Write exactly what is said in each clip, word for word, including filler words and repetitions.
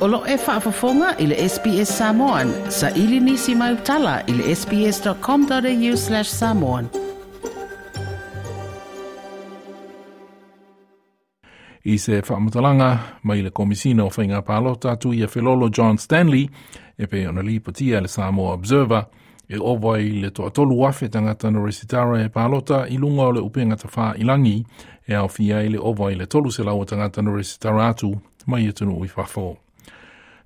O lo e faafofoga i le S B S Samoan, sa ili nisi mai utala i le sbs.com.au slash samoan. I se whaamutalanga mai le komisina o whainga pālota tu ia Felolo John Stanley e pe ona lipotia le Samoa Observer e ova i le toatolu afe tangata no resitara e pālota i lunga o le upenga tawha ilangi e au fia i le ova i le tolu se lau tangata no resitara atu mai e tunu i whafo.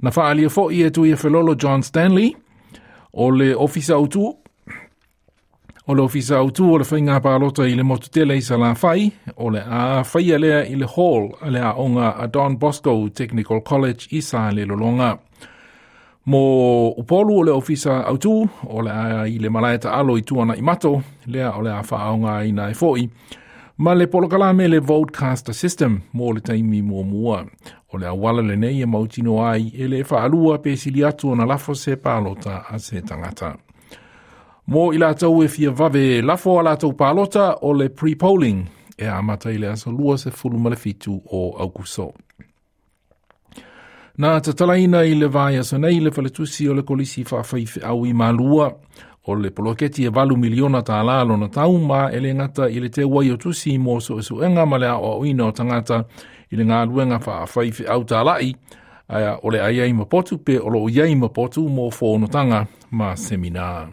Na whaalia fo i e tu ia Felolo John Stanley o le ofisa autu o le ofisa autu o le whainga pālota i le motu tele i Salafai, o le a whaia lea i le hall a le aonga a Don Bosco Technical College i sa le lolonga. Mo upolu o le ofisa autu, o le a i le malaeta alo i tuana i mato, lea o le a whaaonga i nai foi, ma le polokalame le Votecaster System mo le taimi mua mua. O le awala le nei e mautino ai e le whaalua pe sili atu o na lafo se pālota a se tangata. Mo i lātou e fia vave lafo a lātou pālota o le pre-polling e amata i le aso lua se fulu ma le fitu o Aukuso. Nā tatalaina i le vai aso nei le faletusi o le kolisi whaawhaiwhi au i Malua o le poloketi e valu miliona tā lalo na tauma e le ngata i le te wai o tusi mo so esuenga ma le ao ina o tangata i le ngā luenga whaawhaiwhi au tālai aia o le aiai mapotu pe o lo iai mapotu mo whonotanga ma seminar.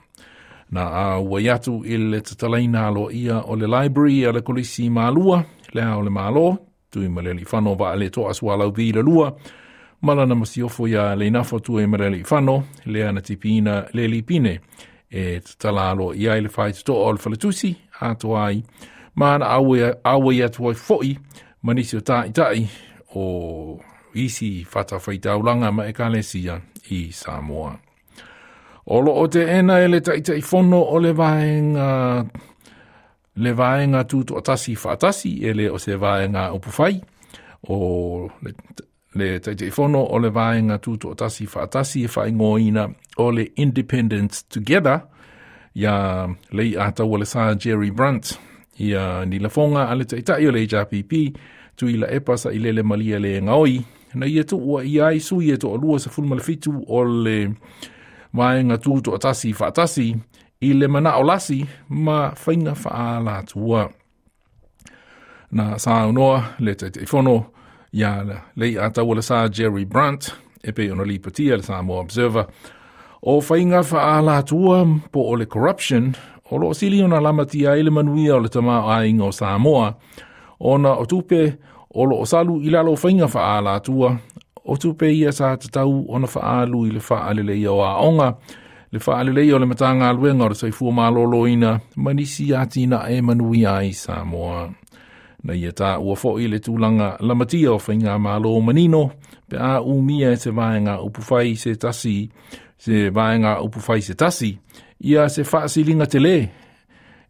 Na a waiatu i le tatalaina alo ia o le library a le kolisi Malua, le ao le malo, tui maleli whano wa le toa sualau vi le lua, malana masiofo ia le inafo tui maleli whano, le ana tipina le lipine, e tatala alo ia i le whaitutoa o le faletusi, atoa ai, mana awe, awe atu ai foi, manisi o ta'itai o isi whatawhaitaulanga ma ekalesia i Samoa. O lo o te ena e le ta'itai fono o le vaenga, le vaenga tutu atasi whaatasi e le o se vaenga upuwhai. O le, le ta'itai fono o le vaenga tutu atasi whaatasi e whaingoina o le Independence Together ia lei ataua le sa Jerry Brunt ia ni lafonga a le ta'itai o le H R P P tui la epa sa ilele malia le ngaoi na ia tu ua ia sui e to alua sa fulma le fitu o le vaenga tutu atasi whaatasi i le mana o lasi ma whainga whaalatua. Na saunoa le taitaifono ia le ataua le sa Jerry Brunt e pe ona lipatia le Samoa Observer o whainga whaalatua po o le corruption o lo sili ona lamatia i le manuia o le tama ainga o Samoa ona o tupe o lo salu i lalo whainga whaalatua o tupe ia sa tatau ona whaalu i le whaalele ia o aonga, le whaalele ia o le matanga aluenga o le saifua maloloina, manisi atina e manuia ai Samoa. Na ia tā ua foi le tūlanga lamatia o whainga malo manino, pe a umia e se vaenga upuwhai se tasi, se vaenga upuwhai se tasi, ia se whaasilinga te le,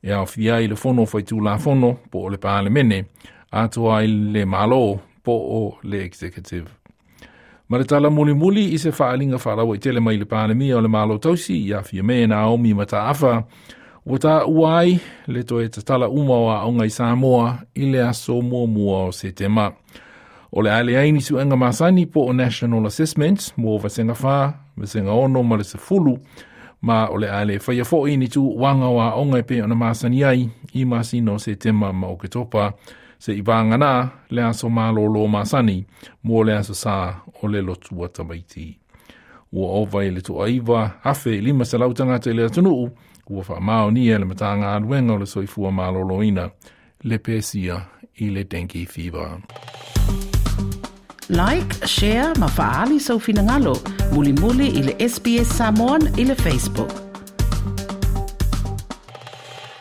e au fia i le fono whaitūla fono, po o le pālemene, atua i le malo, po o le executive. Ma le tala muli muli i se whaalinga whaarawa i tele mai le pālemia o le malo tausi i awhia me Naomi Mataafa, ua tā uai le toe tatala uma o aonga i Samoa i le aso mua mua o Setema. O le aile aini suenga masani po o National Assessments mo vasenga whā, vasenga ono ma le sefulu, ma o le aile whaia foi ni tu wanga o aonga e pe ona masani ai i masino o Setema ma o Ketopa se i vāngana le aso malolo masani mo le aso sa o le lotua tamaiti. Ua ova i le toaiva afe lima selau tangata i le atunuu ua whaamaonia le matanga aluenga o le soifua maloloina le pesia i le dengue fever. Like, share, ma faali sau finangalo, muli muli i le S B S Samoan i le Facebook.